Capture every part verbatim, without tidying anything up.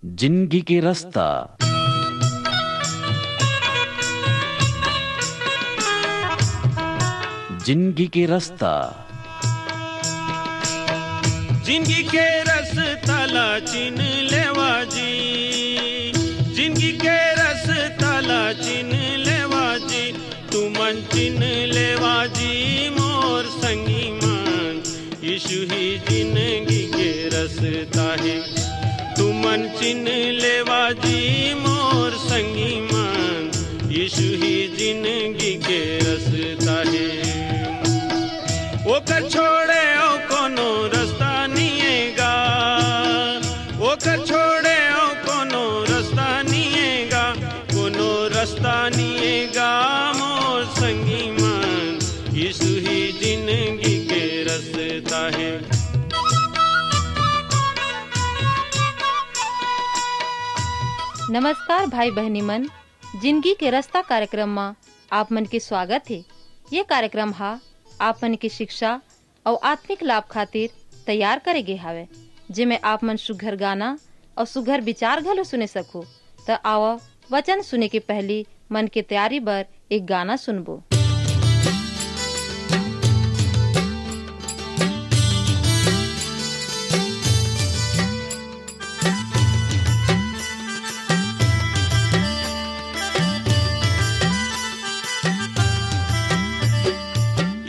जिंदगी के रस्ता। जिंदगी के रस्ता। जिंदगी के रस्ता ला चिन लेवा जी, जिंदगी के रस्ता ला चिन लेवा जी, तुमन चिन लेवा जी मोर संगी मन, यीशु ही जिंदगी के रस्ता हे। तुमन चिन लेवा जी मोर संगी मन, यीशु ही जिंदगी के रस्ता हे। ओकर छोड़े अउ कोनो रस्ता निये गा, ओकर छोड़े अउ कोनो रस्ता निये गा, कोनो रस्ता निये गा मोर संगी मन, यीशु ही जिंदगी के रस्ता हे। नमस्कार भाई बहिनी मन, जिंदगी के रस्ता कार्यक्रम म आप मन के स्वागत हे। ये कार्यक्रम ह आप मन के शिक्षा अउ आत्मिक लाभ खातिर तैयार करे गे हावय, जेमे आप मन सुघर गाना अउ सुघर विचार घलो सुने सकहू। त आवा, वचन सुने के पहिली मन के तैयारी बर एक गाना सुनबो।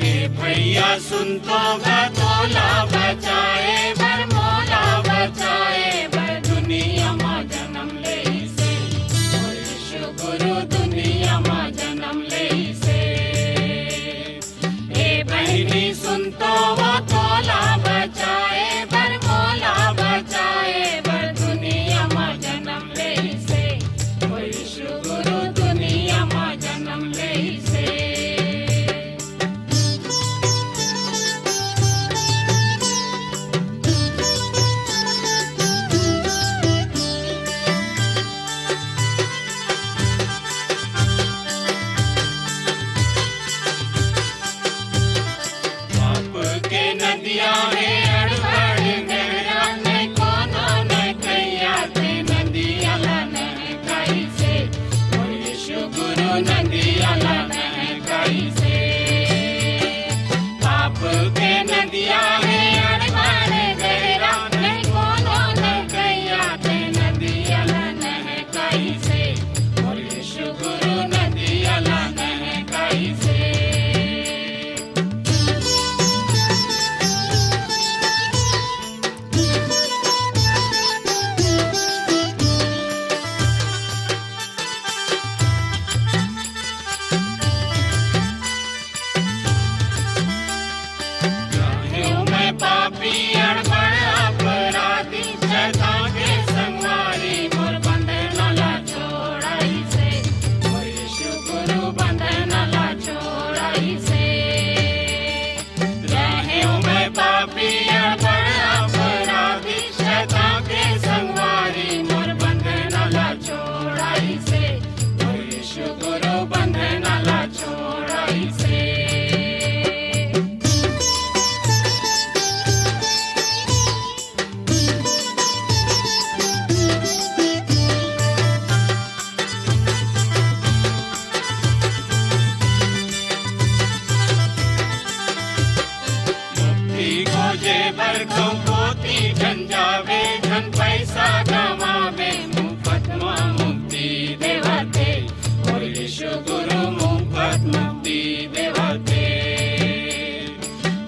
ये भैया सुन तो गा, तोला बचाए बर, मोला बचाए बर दुनिया मा जन्म लेइसे। ओ यीशु गुरु दुनिया मा जन्म लेइसे। ए बहिनी सुन तो वो, तोला बचाए बर, मोला बचाए बर दुनिया मा जन्म लेइसे। ओ यीशु गुरु दुनिया मा जन्म लेइसे। पाप के नदिया हे अड़बड़ गहरा, नहीं कोनो नहीं कैया ते नदिया ला नहकाइसे। मोर यीशु गुरु नदिया ला नहकाइसे। पाप के नदिया हे अड़बड़ गहरा, नहीं कोनो नहीं कैया ते नदिया ला नहकाइसे। मोर यीशु गुरु नदिया ला नहकाइसे। रहेंव मैं पापी अड़बड़ अपराधी, शैतान के संगवारी मोर बंधन ला छोड़ाइसे। मोर यीशु गुरु बंधन ला छोड़ाइसे। रहेंव मैं पापी अड़बड़ अपराधी, शैतान के संगवारी मोर बंधन ला छोड़ाइसे। मोर यीशु गुरु बंधन ला छोड़ाइसे। मुक्ति खोजे बर कहूँ कोती झन जावे, झन पैसा गंवावे, मुफ्त म मुक्ति देवथे। मोर यीशु गुरु मुफ्त मुक्ति देवथे।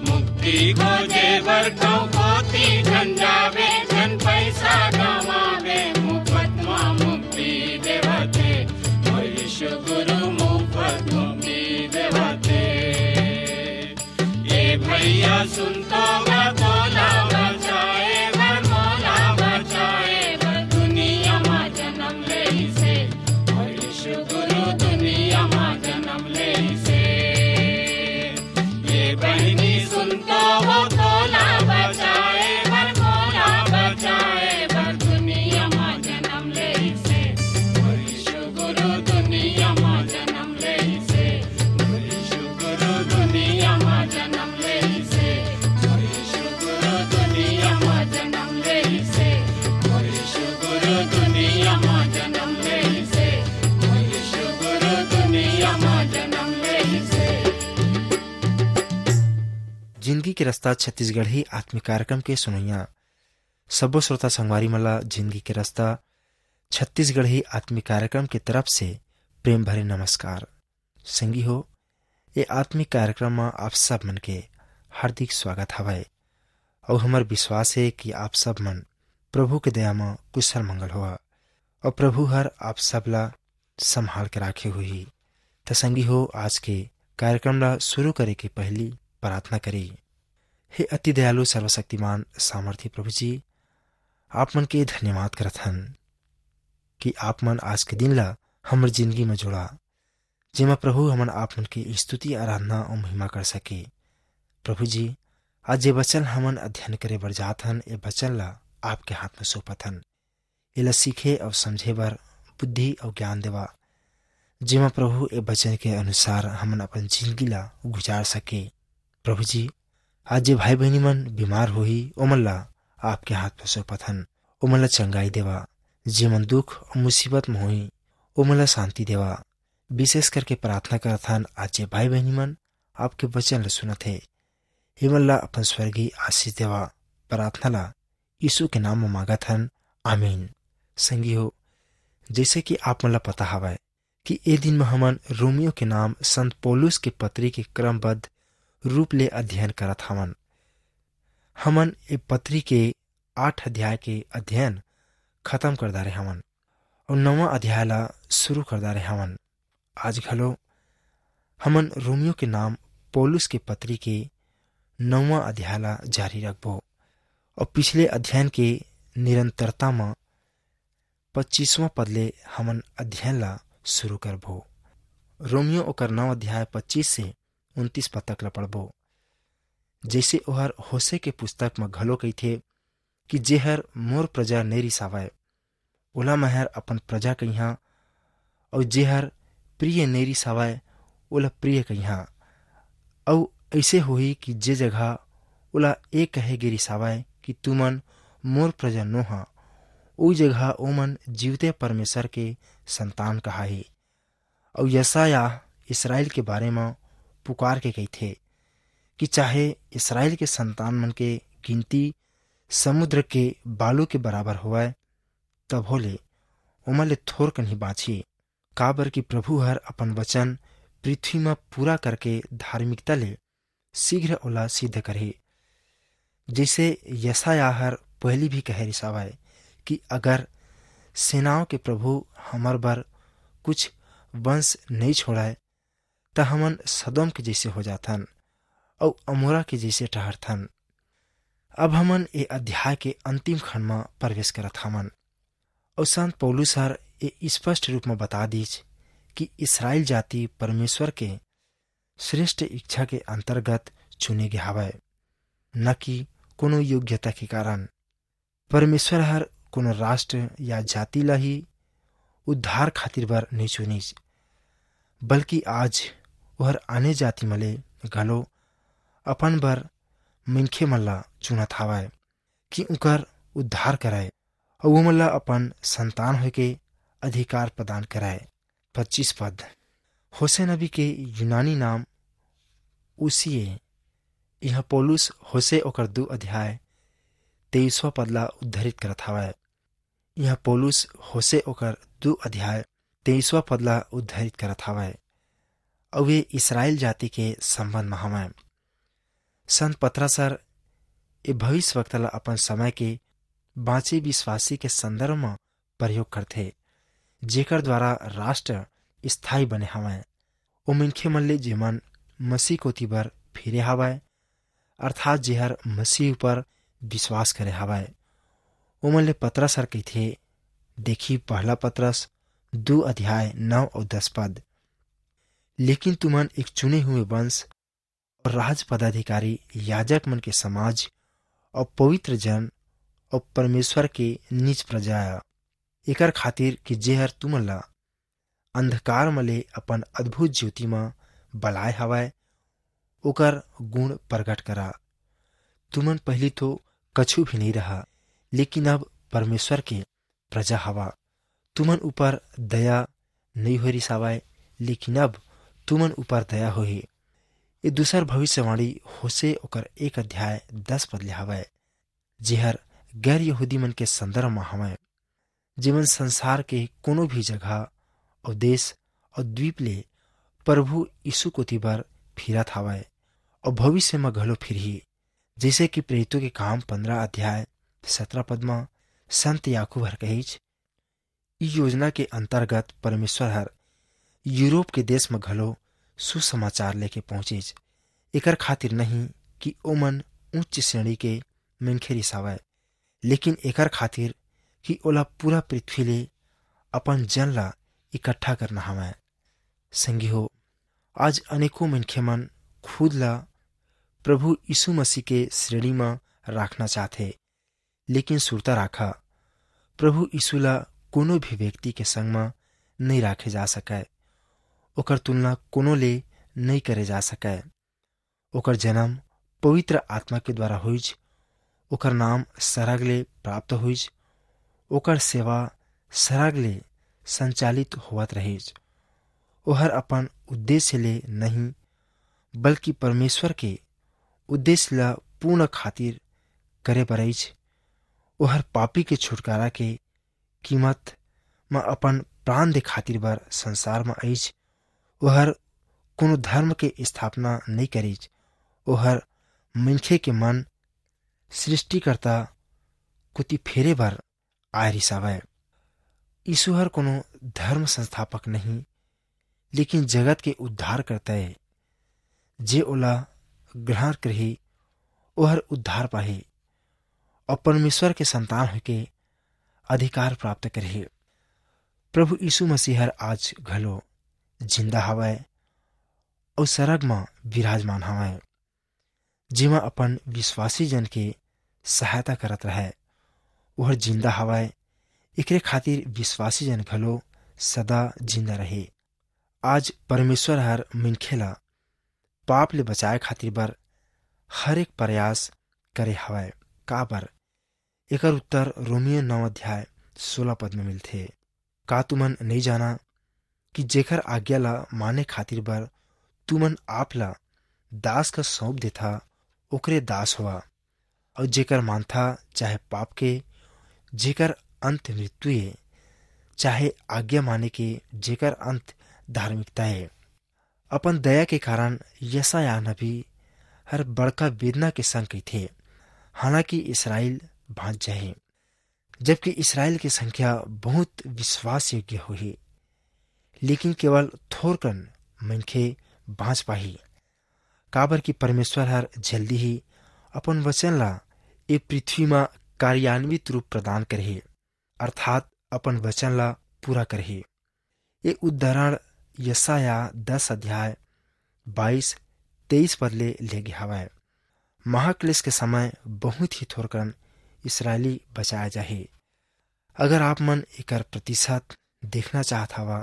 मुक्ति खोजे बर कहूँ कोती झन जावे, झन पैसा गंवावे, मुफ्त म मुक्ति देवथे। मोर यीशु गुरु मुफ्त मुक्ति देवथे। ए भैया सुन तो गा, तोला बचाए बर, मोला बचाए बर दुनिया मा जन्म लेइसे। मोर यीशु गुरु दुनिया मा जन्म लेइसे। ए बहिनी सुन तो वो, तोला बचाए बर, मोला बचाए बर दुनिया मा जन्म लेइसे। मोर यीशु गुरु दुनिया मा जन्म लेइसे। मोर यीशु गुरु दुनिया मा जन्म लेइसे। मोर के रस्ता छत्तीसगढ़ी आत्मिक कार्यक्रम के सुनैया सब्बो श्रोता संगवारी मन ला जिंदगी के रस्ता छत्तीसगढ़ी आत्मिक कार्यक्रम के तरफ से प्रेम भरे नमस्कार। संगी हो, ये आत्मिक कार्यक्रम म आप सब मन के हार्दिक स्वागत हवय। अउ हमर विश्वास हे कि आप सब मन प्रभु के दया म कुशल मंगल होहा अउ प्रभु हर आप सब ला संभाल के राखे होही। त संगी हो, आज के कार्यक्रम ला शुरू करे के पहली प्रार्थना करी। हे अति दयालु सर्वशक्तिमान सामर्थी प्रभु जी, आप मन के धन्यवाद करत हन कि आप मन आज के दिन ला हमर जिंदगी म जोड़ा, जेमा प्रभु हमन आप मन के स्तुति, आराधना अउ महिमा कर सके। प्रभु जी, आज जे वचन हमन अध्ययन करे बर जात हन, ए वचन ला आपके हाथ म सौंपत हन। एला सीखे अउ समझे बर बुद्धि अउ ज्ञान देवा, जेमा प्रभु ए वचन के अनुसार हमन अपन जिंदगी ला गुजार सके। प्रभु जी, आज जे भाई बहिनी मन बीमार होही, ओमन ला आपके हाथ म सौंपत हन। ओमन ला चंगाई देवा। जेमन दुख अउ मुसीबत म होही, ओमन ला शांति देवा। विशेष करके प्रार्थना करत हन, आज जे भाई बहिनी मन आपके वचन ला सुनत हे, एमन ला अपन स्वर्गीय आशीष देवा। प्रार्थना ला यीशु के नाम म मांगत हन, आमीन। संगी हो, जैसे कि आप मन ला पता हवय कि ए दिन म हमन रोमियो के नाम संत पौलुस के पत्री के क्रमबद्ध रूप ले अध्ययन करत हवन। हमन ए पत्री के आठ अध्याय के अध्ययन खत्म कर डारे हवन अउ नवा अध्याय ला शुरू कर डारे हवन। आज घलो हमन रोमियो के नाम पौलुस के पत्री के नवा अध्याय ला जारी रखबो अउ पिछले अध्ययन के निरंतरता म पच्चीसवां पद ले हमन अध्ययन ला शुरू करबो। रोमियो ओकर नौ अध्याय पच्चीस से उनतीस पद तक ला पढ़बो। जैसे ओहर होशे के पुस्तक म घलो कहिथे कि जेहर मोर प्रजा नइ रिसावय, ओला महर अपन प्रजा कहिहां, अउ जेहर प्रिय नइ रिसावय, ओला प्रिय कहिहां। अउ अइसे होही कि जे जगह ओला ए कहे गे रिसावय कि तुमन मोर प्रजा नोहा, ओ जगह ओमन जीवते परमेश्वर के संतान कहाही। अउ यशायाह इसराइल के बारे म पुकार के कहिथे कि चाहे इसराइल के संतान मन के गिनती समुद्र के बालू के बराबर होवय, तभो ले ओमन ले थोर कन ही बांचही, काबर कि प्रभु हर अपन वचन पृथ्वी म पूरा करके धार्मिकता ले शीघ्र ओला सिद्ध करही। जइसे यशायाह हर पहिली भी कहे रिसावय कि अगर सेनाओं के प्रभु हमर बर कुछ वंश नइ छोड़य, त हमन सदोम के जइसे हो जाथन अउ अमोरा के जइसे ठहरथन। अब हमन ए अध्याय के अंतिम खंड म प्रवेश करत हवन अउ संत पौलुस हर ए स्पष्ट रूप म बता दीच कि इसराइल जाति परमेश्वर के श्रेष्ठ इच्छा के अंतर्गत चुने गे हवय, न कि कोनो योग्यता के कारण। परमेश्वर हर कोनो राष्ट्र या जाति ला ही उद्धार खातिर बर नइ चुनिस, बल्कि आज ओहर आने जाति मन ले घलो अपन बर मनखे मन ला चुनत हावय कि उंकर उद्धार करय अउ ओमन ला अपन संतान होय के अधिकार प्रदान करय। पच्चीस पद, होशे नबी के यूनानी नाम उसी ए। इहाँ पौलुस होशे ओकर दू अध्याय तेईसवां पद ला उद्धरित करत हावय। इहाँ पौलुस होशे ओकर दू अध्याय तेईसवां पद ला उद्धरित करत हावय, अउ ये इसराइल जाति के संबंध म हवय। संत पतरस हर ए भविष्यवक्ता ला अपन समय के बांचे विश्वासी के संदर्भ म प्रयोग करथे, जेकर द्वारा राष्ट्र स्थायी बने हवय। ओ मनखे मन ले जेमन मसीह कोति बर फिरे हवय, अर्थात जेहर मसीह ऊपर विश्वास करे हवय, ओमन ले पतरस हर कहिथे, देखी पहला पतरस दू अध्याय नौ अउ दस पद, लेकिन तुमन एक चुने हुए वंश और राज पदाधिकारी, याजक मन के समाज और पवित्र जन और परमेश्वर के निज प्रजा आय, एकर खातिर कि जेहर तुमन ला अंधकार म ले अपन अद्भुत ज्योति म बलाय हवय, ओकर गुण प्रगट करा। तुमन पहिली तो कछु भी नइ रहा, लेकिन अब परमेश्वर के प्रजा हवा। तुमन ऊपर दया नइ होय रिसावय, लेकिन अब तुमन ऊपर दया होही। ये दूसर भविष्यवाणी होशे ओकर एक अध्याय दस पद ले हवय, जेहर गैर यहूदी मन के संदर्भ म हवय, जेमन संसार के कोनो भी जगह अउ देश अउ द्वीप ले प्रभु यीशु कोति बर फिरत हवय अउ भविष्य म घलो फिरही, जैसे कि प्रेरितों के काम पन्द्रह अध्याय सत्रह पद म संत याकूब हर कहिच, ई योजना के अंतर्गत परमेश्वर हर यूरोप के देश म घलो सुसमाचार लेके पहुंचिच, एकर खातिर नहीं कि ओमन उच्च श्रेणी के मनखे रिसावय, लेकिन एकर खातिर कि ओला पूरा पृथ्वी ले अपन जन ला इकट्ठा करना हवय। संगी हो, आज अनेकों मनखे मन खुद ला प्रभु यीशु मसीह के श्रेणी म राखना चाहथे, लेकिन सुरता राखा, प्रभु यीशु ला कोनो भी व्यक्ति के संग म नइ राखे जा सकय। ओकर तुलना कोनो ले नइ करे जा सकय। ओकर जन्म पवित्र आत्मा के द्वारा होइच, ओकर नाम सरग ले प्राप्त होइच, ओकर सेवा सरग ले संचालित होवत रहिच। ओहर अपन उद्देश्य ले नहीं, बल्कि परमेश्वर के उद्देश्य ला पूर्ण खातिर करे बर आइच। ओहर पापी के छुटकारा के कीमत म अपन प्राण दे खातिर बर संसार म आइच। ओहर कोनो धर्म के स्थापना नइ करिच। ओहर मनखे के मन सृष्टिकर्ता कोति फेरे बर आय रिसावय। यीशु हर कोनो धर्म संस्थापक नहीं, लेकिन जगत के उद्धारकर्ता ए। जे ओला ग्रहण करही, ओहर उद्धार पाही अउ परमेश्वर के संतान होके अधिकार प्राप्त करही। प्रभु यीशु मसीह हर आज घलो जिंदा हवय अउ सरग म विराजमान हवय, जेमा अपन विश्वासी जन के सहायता करत रहय। ओहर जिंदा हवय, एकरे खातिर विश्वासी जन घलो सदा जिंदा रहे। आज परमेश्वर हर मनखे ला पाप ले बचाए खातिर बर हर एक प्रयास करे हवय। काबर? एकर उत्तर रोमियो नौ अध्याय सोलह पद में मिलथे। का तुमन नइ जाना कि जेकर आज्ञा ला माने खातिर बर तुमन आप ला दास का सौंप देथा, ओकरे दास होवा, अउ जेकर मानथा चाहे पाप के, जेकर अंत मृत्यु ए, चाहे आज्ञा माने के, जेकर अंत धार्मिकता ए। अपन दया के कारण यशायाह नबी हर बड़का वेदना के संग कहिथे, हालांकि इसराइल बांच जाही, जबकि इसराइल के संख्या बहुत विश्वास योग्य होही, लेकिन केवल थोरकन मनखे बांच पाही, काबर कि परमेश्वर हर जल्दी ही अपन वचन ला ए पृथ्वी म कार्यान्वित रूप प्रदान करही, अर्थात अपन वचन ला पूरा करही। ये उदाहरण यशायाह दस अध्याय बाईस तेईस पद ले लेगे हवय। महाक्लेश के समय बहुत ही थोरकन इसराइली बचाए जाही। अगर आप मन एकर प्रतिशत देखना चाहत हवा,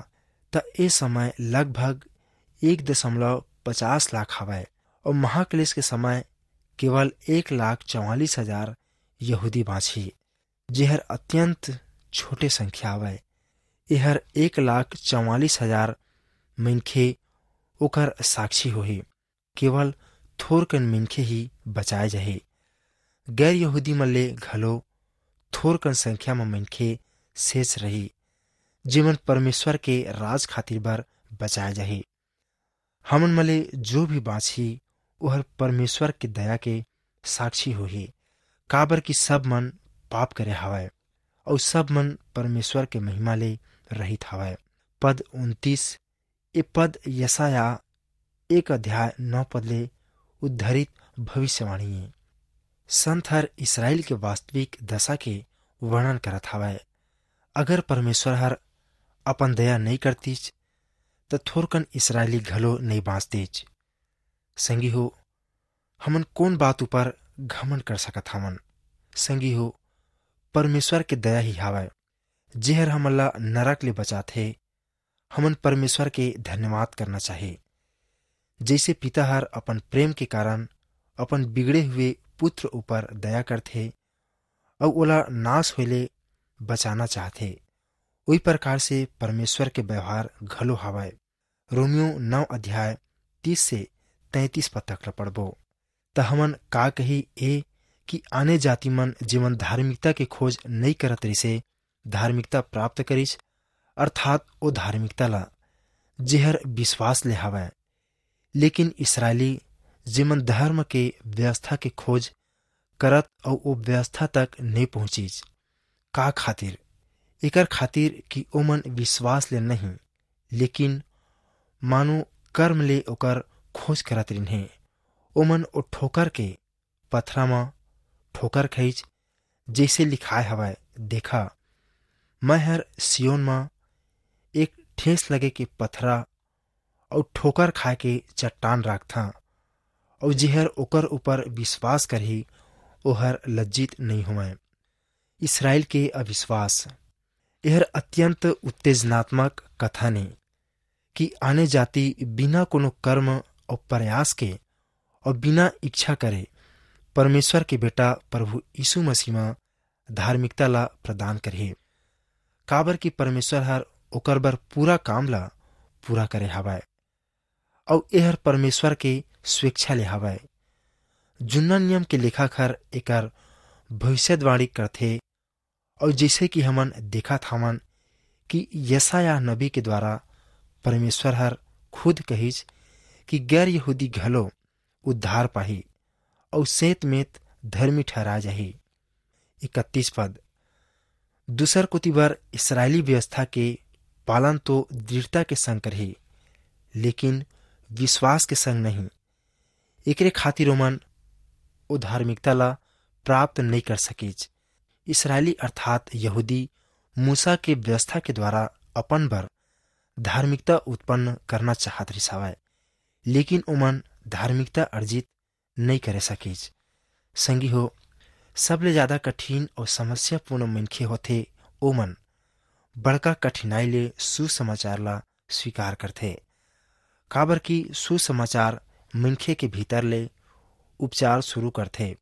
त ए समय लगभग एक दशमलव पचास लाख हवय अउ महाक्लेश के समय केवल एक लाख चवालीस हजार यहूदी बांचही, जेहर अत्यंत छोटे संख्या हवय। एहर एक लाख चवालीस हजार मनखे ओकर साक्षी होही। केवल थोरकन मनखे ही बचाए जाही। गैर यहूदी मन ले घलो थोरकन संख्या म मनखे शेष रही, जेमन परमेश्वर के राज खातिर बर बचाए जाही। हमन म ले जो भी बांचही, ओहर परमेश्वर के दया के साक्षी होही, काबर कि सब मन पाप करे हवय, अउ सब मन परमेश्वर के महिमा ले रहित हवय। पद उनतीस, ए पद यशायाह एक अध्याय नौ पद ले उद्धरित भविष्यवाणी ए। संत हर इसराइल के वास्तविक दशा के वर्णन करत हवय। अगर परमेश्वर हर अपन दया नई करतीच, त थोरकन इसराइली घलो नई बांचतीच। संगी हो, हमन कोन बात ऊपर घमंड कर सकत हवन? संगी हो, परमेश्वर के दया ही हावय, जेहर हमन ला नरक ले बचाथे। हमन परमेश्वर के धन्यवाद करना चाही। जैसे पिता हर अपन प्रेम के कारण अपन बिगड़े हुए पुत्र ऊपर दया करथे, अउ ओला नाश होए ले बचाना चाहथे, उही प्रकार से परमेश्वर के व्यवहार घलो हावय। रोमियो नौ अध्याय तीस से तैंतीस पद तक ल पढ़बो। त हमन का कही ए कि आने जाति मन, जेमन धार्मिकता के खोज नई करत रिसे, धार्मिकता प्राप्त करिस, अर्थात ओ धार्मिकता ला जेहर विश्वास ले हवय। लेकिन इसराइली, जेमन धर्म के व्यवस्था के खोज करत अउ ओ व्यवस्था तक नई पहुंचिस, का खातिर? एकर खातिर कि ओमन विश्वास ले नहीं, लेकिन मानो कर्म ले ओकर खोज करत रिन्हे। ओमन ओ ठोकर के पथरा म ठोकर खइच, जइसे लिखाय हवय, "देखा, मैं हर सियोन म एक ठेस लगे के पथरा अउ ठोकर खाए के चट्टान राखथां, अउ जेहर ओकर ऊपर विश्वास करही, ओहर लज्जित नई होवय।" इसराइल के अविश्वास। एहर अत्यंत उत्तेजनात्मक कथन ए कि आने जाति बिना कोनो कर्म अउ प्रयास के अउ बिना इच्छा करे परमेश्वर के बेटा प्रभु यीशु मसीह म धार्मिकता ला प्रदान करही, काबर कि परमेश्वर हर ओकर बर पूरा काम ला पूरा करे हवय, अउ एहर परमेश्वर के स्वेच्छा ले हवय। जुन्ना नियम के लेखक हर एकर भविष्यवाणी करथे, अउ जइसे कि हमन देखत हवन कि यशायाह नबी के द्वारा परमेश्वर हर खुद कहिस कि गैर यहूदी घलो उद्धार पाही अउ सेंत मेंत धर्मी ठहराय जाही। इकतीस पद, दूसर कोति बर इसराइली व्यवस्था के पालन तो दृढ़ता के संग करही, लेकिन विश्वास के संग नहीं। एकरे खातिर ओमन ओ धार्मिकता ला प्राप्त नई कर सकिस। इसराइली अर्थात यहूदी मूसा के व्यवस्था के द्वारा अपन बर धार्मिकता उत्पन्न करना चाहत रिस हवय, लेकिन ओमन धार्मिकता अर्जित नई करे सकिस। संगी हो, सबले ज्यादा कठिन अउ समस्यापूर्ण मनखे होथे ओमन, बड़का कठिनाई ले सुसमाचार ला स्वीकार करथे, काबर कि सुसमाचार मनखे के भीतर ले उपचार शुरू करथे,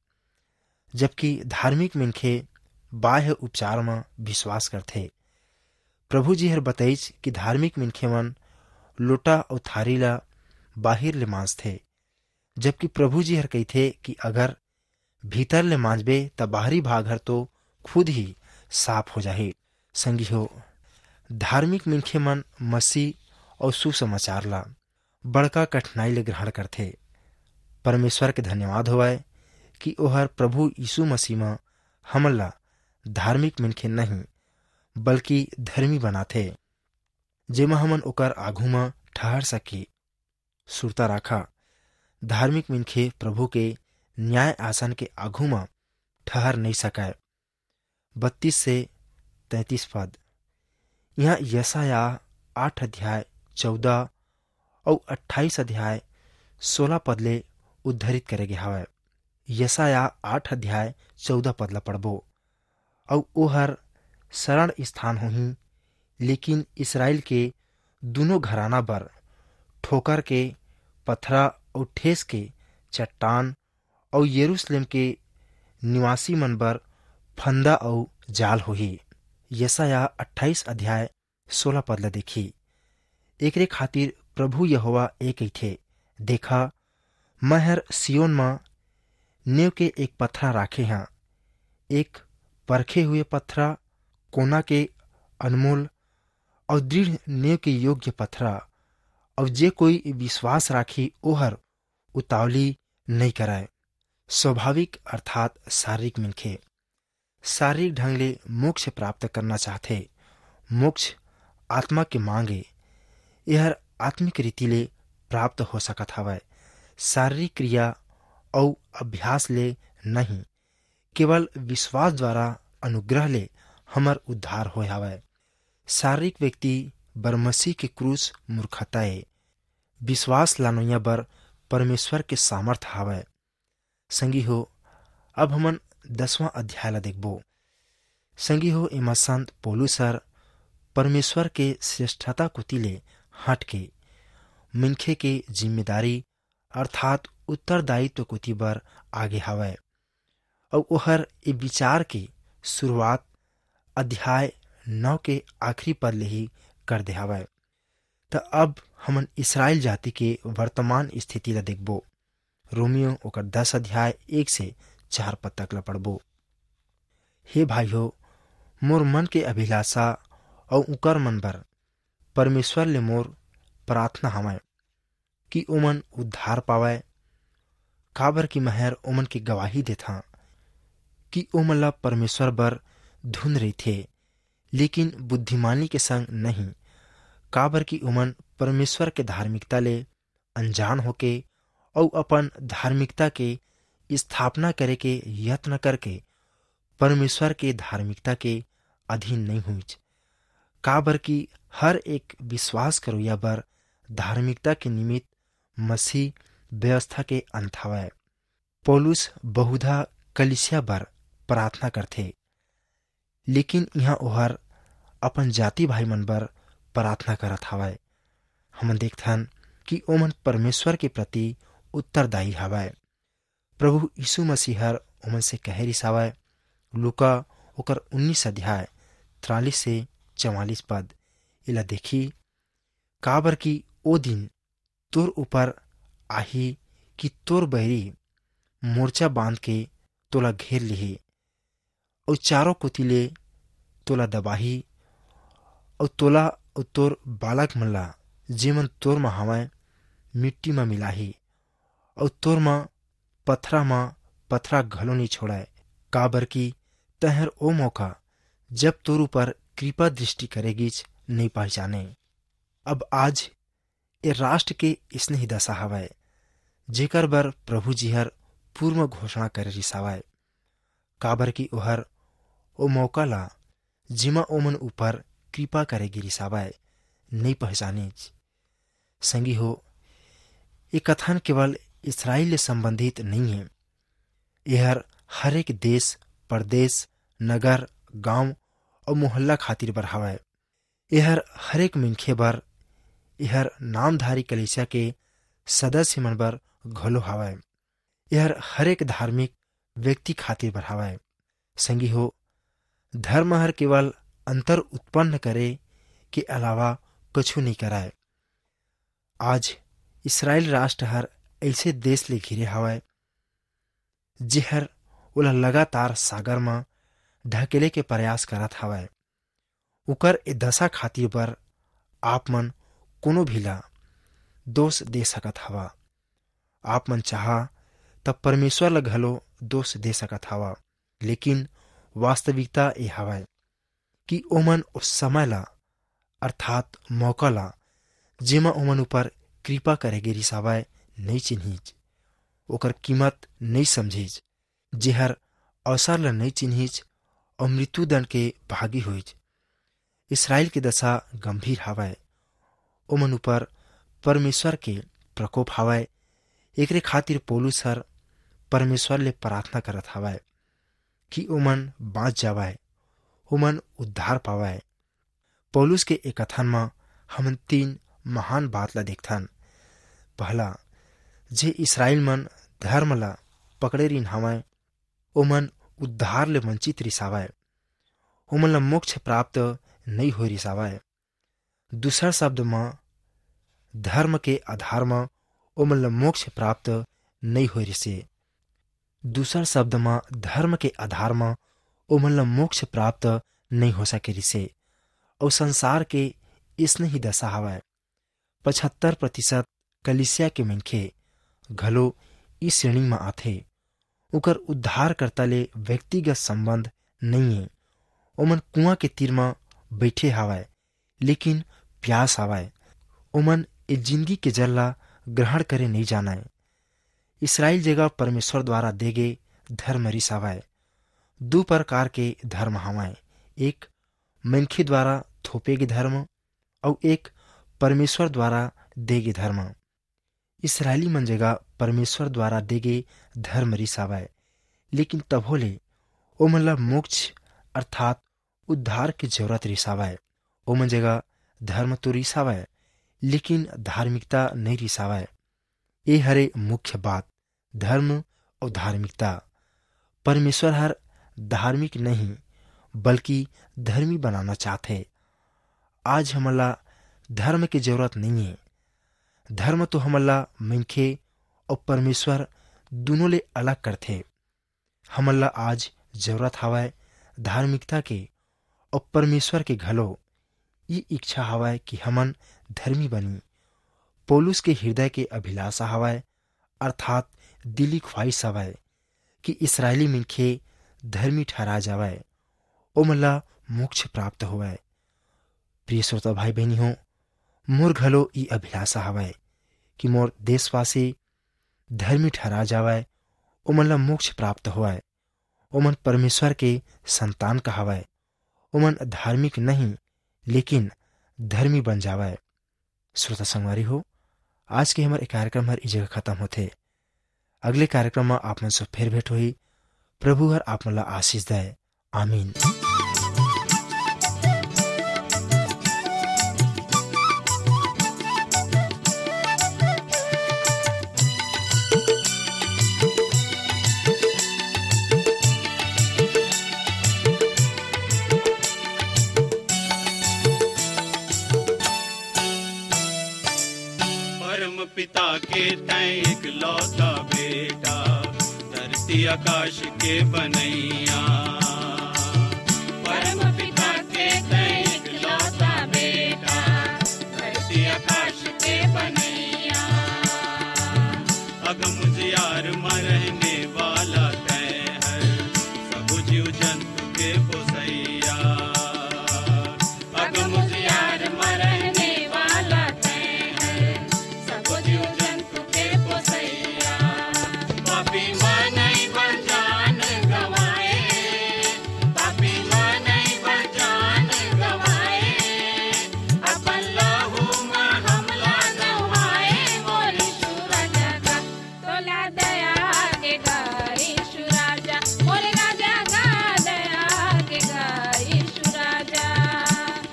जबकि धार्मिक मनखे बाह्य उपचार म विश्वास करथे। प्रभु जी हर बतईच कि धार्मिक मनखे मन लोटा अउ थारी ला बाहिर ले मांजथे, जबकि प्रभु जी हर कहिथे कि अगर भीतर ले मांजबे, त बाहरी भाग हर तो खुद ही साफ हो जाही। संगी हो, धार्मिक मनखे मन मसीह अउ सुसमाचार ला बड़का कठिनाई ले ग्रहण करथे। परमेश्वर के धन्यवाद होवय कि ओहर प्रभु यीशु मसीह म हमन ला धार्मिक मनखे नहीं, बल्कि धर्मी बनाथे, जेमा हमन ओकर आघू म ठहर सकी। सुरता राखा, धार्मिक मनखे प्रभु के न्याय आसन के आघू म ठहर नइ सकय। बत्तीस से तैंतीस पद। यहाँ यशायाह आठ अध्याय चौदह अउ अट्ठाईस अध्याय सोलह पद ले उद्धरित करे गे हवय। यशायाह आठ अध्याय चौदह पद ला पढ़बो। अउ ओहर शरण स्थान होही, लेकिन इसराइल के दुनों घराना बर ठोकर के पथरा अउ ठेस के चट्टान अउ यरूशलेम के निवासी मन बर फंदा अउ जाल होही। यशायाह अट्ठाईस अध्याय सोलह पद ला देखी। एकरे खातिर प्रभु यहोवा ए कहिथे, "देखा, मैं हर सियोन म नेव के एक पथरा राखे हं, एक परखे हुए पथरा, कोना के अनमोल अउ दृढ़ नेव के योग्य पथरा, अउ जे कोई विश्वास राखी, ओहर उतावली नइ करय।" स्वाभाविक अर्थात शारीरिक मनखे शारीरिक ढंग ले मोक्ष प्राप्त करना चाहथे। मोक्ष आत्मा के मांग ए। एहर आत्मिक रीति ले प्राप्त हो सकत हवय, शारीरिक क्रिया अउ अभ्यास ले नहीं। केवल विश्वास द्वारा अनुग्रह ले हमर उद्धार होय हवय। शारीरिक व्यक्ति बर मसीह के क्रूस मूर्खता ए। विश्वास लानोइया बर परमेश्वर के सामर्थ हवय। संगी हो, अब हमन दसवां अध्याय ला देखबो। संगी हो, एमा संत पौलुस हर परमेश्वर के श्रेष्ठता कोति ले हट के मनखे के जिम्मेदारी अर्थात उत्तरदायित्व कोति बर आगे हवय। अउ ओहर ए विचार के शुरुआत अध्याय नौ के आखिरी पद ले ही कर दे हवय। त अब हमन इसराइल जाति के वर्तमान स्थिति ला देखबो। रोमियो ओकर दस अध्याय एक से चार पद तक ला पढ़बो। हे भाई हो, मोर मन के अभिलाषा अउ उकर मन बर परमेश्वर ले मोर प्रार्थना हवय कि ओमन उद्धार पावय, काबर कि महर ओमन के गवाही देथां कि ओमन ला परमेश्वर बर धुन रहिथे, लेकिन बुद्धिमानी के संग नहीं, काबर कि ओमन परमेश्वर के धार्मिकता ले अनजान होके अउ अपन धार्मिकता के स्थापना करे के यत्न करके परमेश्वर के धार्मिकता के अधीन नहीं हुईच, काबर कि हर एक विश्वास करोइया बर धार्मिकता के निमित्त मसीह व्यवस्था के अंत हवय। पौलुस बहुधा कलिसिया बर प्रार्थना करथे, लेकिन इहाँ ओहर अपन जाति भाई मन बर प्रार्थना करत हवय। हमन देखथन कि ओमन परमेश्वर के प्रति उत्तरदायी हवय। प्रभु यीशु मसीह हर ओमन से कहे रिसावय, लूका ओकर उन्नीस अध्याय तिरालीस से चवालीस पद, एला देखी, काबर कि ओ दिन तोर ऊपर आही कि तोर बैरी मोर्चा बांध के तोला घेर लिही, अउ चारों कोति ले तोला दबाही, अउ तोला अउ तोर बालक मन ला, जेमन तोर म हवय, मिट्टी म मिलाही, अउ तोर म पथरा म पथरा घलो नइ छोड़य, काबर कि तैंहर ओ मौका, जब तोर ऊपर कृपा दृष्टि करे गीच, नइ पहचाने। अब आज ए राष्ट्र के इसने ही दशा हवय, जेकर बर प्रभु जी हर पूर्व घोषणा करे रिसावय, काबर कि ओहर ओ मौका ला, जेमा ओमन ऊपर कृपा करे गे रिसावय, नइ पहचानिच। संगी हो, ये कथन केवल इसराइल ले संबंधित नइ हे। एहर हर एक देश, प्रदेश, नगर, गांव अउ मोहल्ला खातिर बर हवय। एहर हर एक मनखे बर, एहर नामधारी कलीसिया के सदस्य मन बर घलो हवय। एहर हर एक धार्मिक व्यक्ति खातिर बर हवय। संगी हो, धर्म हर केवल अंतर उत्पन्न करे के अलावा कछु नइ करय। आज इसराइल राष्ट्र हर ऐसे देश ले घिरे हवय, जेहर ओला लगातार सागर म ढकेले के प्रयास करत हवय। उकर ए दशा खातिर बर आप मन कोनो भी ला दोष दे सकत हवा। आप मन चाहा त परमेश्वर ला घलो दोष दे सकत हवा, लेकिन वास्तविकता ए हवय कि ओमन उस समय ला, अर्थात मौका ला, जेमा ओमन ऊपर कृपा करे गे रिसावय, नइ चिन्हिच, ओकर कीमत नइ समझिच, जेहर अवसर ला नइ चिन्हिच अउ मृत्युदंड के भागी होइच। इसराइल के दशा गंभीर हवय। ओमन ऊपर परमेश्वर के प्रकोप हवय। एकरे खातिर पौलुस हर परमेश्वर ले प्रार्थना करत हवय कि ओमन बांच जावय, ओमन उद्धार पावय। पौलुस के ए कथन म हमन तीन महान बात ला देखथन। पहला, जे इसराइल मन धर्म ला पकड़े रिन हवय, ओमन उद्धार ले वंचित रिसावय, ओमन ला मोक्ष प्राप्त नइ होय रिसावय। दूसर शब्द म, धर्म के आधार म ओमन ला मोक्ष प्राप्त नइ होय रिसे। दूसर शब्द म, धर्म के आधार म ओमन ला मोक्ष प्राप्त नइ हो सके रिसे। अउ संसार के इसने ही दशा हवय। पचहत्तर प्रतिशत कलीसिया के मनखे घलो इस श्रेणी म आथे। उकर उद्धारकर्ता ले व्यक्तिगत संबंध नइये। ओमन कुआं के तीर म बइठे हावय, लेकिन प्यास हावय। ओमन ए जिंदगी के जल ला ग्रहण करे नइ जानय। इसराइल जगह परमेश्वर द्वारा दे गे धर्म रिस हावय। दू प्रकार के धर्म हावय, एक मनखे द्वारा थोपे गे धर्म, अउ एक परमेश्वर द्वारा दे गे धर्म। इसराइली मन जगह परमेश्वर द्वारा दे गे धर्म रिस हावय, लेकिन तभो ले ओमन ला मोक्ष अर्थात उद्धार के जरूरत रिस हावय। ओमन जगह धर्म तो रिस हावय, लेकिन धार्मिकता नइ रिस हावय। ए हरे मुख्य बात, धर्म अउ धार्मिकता। परमेश्वर हर धार्मिक नहीं, बल्कि धर्मी बनाना चाहथे। आज हमन ला धर्म के जरूरत नइये। धर्म तो हमन ला मनखे अउ परमेश्वर दुनों ले अलग करथे। हमन ला आज जरूरत हवय धार्मिकता के अउ परमेश्वर के घलो। ये इच्छा हवय कि हमन धर्मी बनी। पौलुस के हृदय के अभिलाषा हवय, अर्थात दिली ख्वाहिश हवय कि इसराइली मनखे धर्मी ठहरा जावय, ओमन ला मोक्ष प्राप्त होवय। प्रिय श्रोता भाई बहिनी हो, मोर घलो ई अभिलाषा हवय कि मोर देशवासी धर्मी ठहरा जावय, ओमन ला मोक्ष प्राप्त होवय। ओमन परमेश्वर के संतान कहावय। ओमन धार्मिक नहीं, लेकिन धर्मी बन जावय। श्रोता संगवारी हो, आज के हमर ए कार्यक्रम हर ई जगह खत्म होथे। अगले कार्यक्रम म आप मन से फेर भेंट होही। प्रभु हर आप मन ला आशीष दय। आमीन। परम पिता के तैं एकलौता बेटा, धरती आकाश के बनैया। परम पिता के तैं एकलौता बेटा, धरती आकाश के बनैया। अगम उजियार म रहने वाला तैं हर, सब जीव जंतु के पोसैया। अगम उजियार म रहने वाला तैं हर, सब जीव जंतु के पोसैया। पापी मनई बर जान गंवाए, पापी मनई बर जान गंवाए, अपन लहू म हमला नहाए, मोर यीशु राजा गा। तोला दया के गा यीशु राजा, मोर राजा गा, दया के गा यीशु राजा।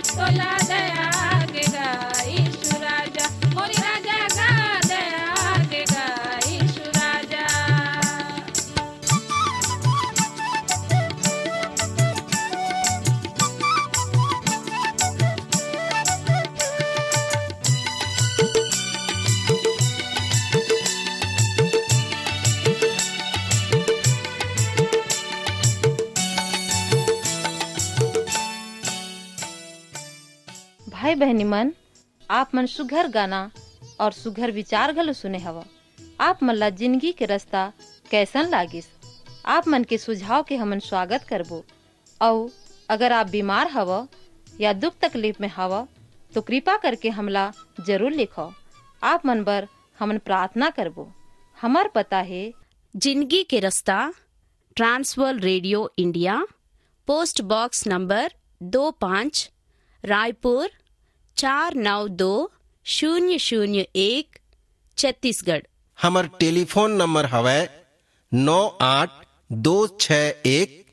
तोला दया के गा यीशु राजा, मोर राजा गा, दया के गा यीशु राजा। भाई बहनी मन, आप मन सुघर गाना और सुघर विचार घलो सुने हव। आप मन ला जिंदगी के रास्ता कैसन लागिस? आप मन के सुझाव के हमन स्वागत करबो। अउ अगर आप बीमार हव या दुख तकलीफ में हव, तो कृपा करके हमला जरूर लिखव। आप मन बर हमन प्रार्थना करबो। हमर पता हे जिंदगी के रास्ता, Trans World radio India, post box number दो पाँच, रायपुर चार नौ दो शून्य शून्य एक, छत्तीसगढ़। हमर टेलीफोन नंबर हवय नौ आठ दो छः एक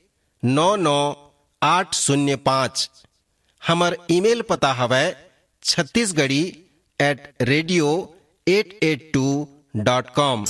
नौ नौ आठ शून्य पाँच। हमर ईमेल पता हवय Chhattisgarhi at radio eight eight two dot com।